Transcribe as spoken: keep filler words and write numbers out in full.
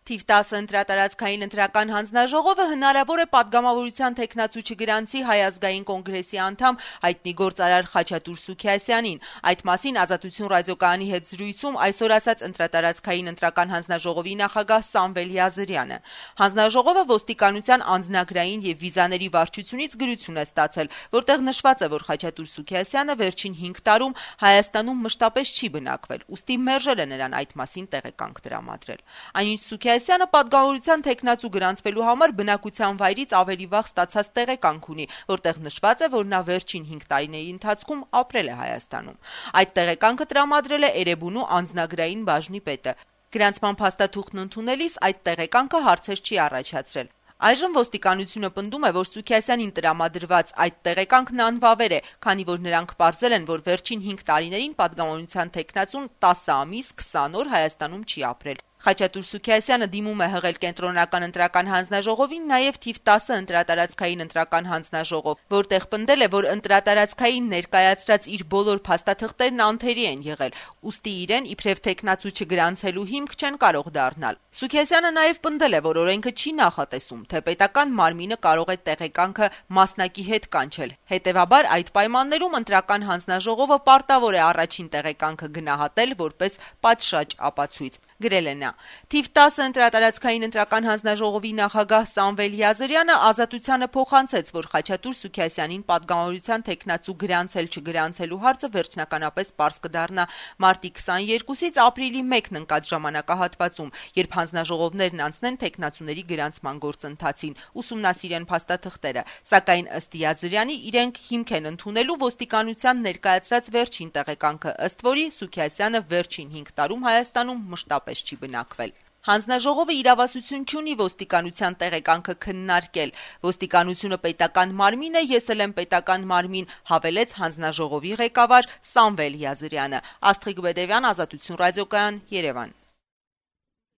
Թիվ տասը ընտրատարածքային ընտրական հանձնաժողովը հնարավոր է պատգամավորության թեկնածու չգրանցի Հայ ազգային կոնգրեսի անդամ հայտնի գործարար Խաչատուր Սուքիասյանին։ Այդ մասին Ազատություն ռադիոկայանի հետ զրույցում այսօր ասաց ընտրատարածքային ընտրական հանձնաժողովի նախագահ Սամվել Յազարյանը։ Հանձնաժողովը ոստիկանության անձնագրային եւ վիզաների վարչությունից գրություն է ստացել, որտեղ նշված է, որ Խաչատուր Սուքիասյանը վերջին հինգ տարում Հայաստանում մշտապես չի բնակվել, ուստի մերժել է նրան այդ մասին տեղեկանք տրամադրել։ Այնինչ Սուքիասյանը պատգամավորության թեկնածու գրանցվելու համար բնակության վայրից ավելի վաղ ստացած տեղեկանք ունի, որտեղ նշված է, որ նա վերջին հինգ տարիների ընթացքում ապրել է Հայաստանում։ Այդ տեղեկանքը տրամադրել է Էրեբունու անձնագրային բաժնի պետը։ Գրանցման փաստաթուղթն ընդունելիս այդ տեղեկանքը հարցեր չի առաջացրել։ Այժմ ոստիկանությունը պնդում է, որ Սուքիասյանին տրամադրված այդ տեղեկանքն անվավեր է, քանի որ նրանք պարզել են, որ վերջին հինգ տարիներին պատգամավորության թեկնածուն տասը ամիս քսան օր Հայաստանում չի ապրել։ Խաչատուր Սուքիասյանը դիմում է հղել կենտրոնական ընտրական հանձնաժողովին նաև թիվ տասը ընտրատարածքային ընտրական հանձնաժողով, որտեղ պնդել է, որ ընտրատարածքային ներկայացրած իր բոլոր փաստաթղթերն անթերի են եղել, ուստի իրեն իբրև թեկնածու չգրանցելու հիմք չեն կարող դառնալ։ Սուքիասյանը նաև պնդել է, որ օրենքը չի նախատեսում, թե պետական մարմինը կարող է տեղեկանքը մասնակի հետ կանչել։ Հետևաբար այդ պայմաններում ընտրական հանձնաժողովը պարտավոր է առաջին տեղեկանքը գնահատել որպես պատշաճ ապացույց։ Գրել է նա. Թիվ տասը ընտրատարածքային ընտրական հանձնաժողովի նախագահ Սամվել Յազարյանը Ազատությանը փոխանցեց, որ Խաչատուր Սուքիասյանին պատգամավորության թեկնածու գրանցել չգրանցելու հարցը վերջնականապես պարզ կդառնա մարտի քսաներկուսից ապրիլի մեկն ընկած ժամանակահատվածում, երբ հանձնաժողովներն անցնեն թեկնածուների գրանցման գործընթացին, ուսումնասիրեն փաստաթղթերը, սակայն ըստ Յազարյանի իրենք հիմք են ընդունելու ոստիկանության ներկայացրած վերջին տեղեկանքը, ըստ որի Սուքիասյանը վերջին հինգ տարում Հայաստանում մշտապես չի բնակվել։ Հանձնաժողովը իրավասություն չունի ոստիկանության տեղեկանքը քննարկել։ Ոստիկանությունը պետական մարմին է, ես էլ եմ պետական մարմին, հավելեց հանձնաժողովի ղեկավար Սամվել Յազարյանը։ Աստղիկ Բեդևյան, Ազատություն ռադիոկայան, Երևան։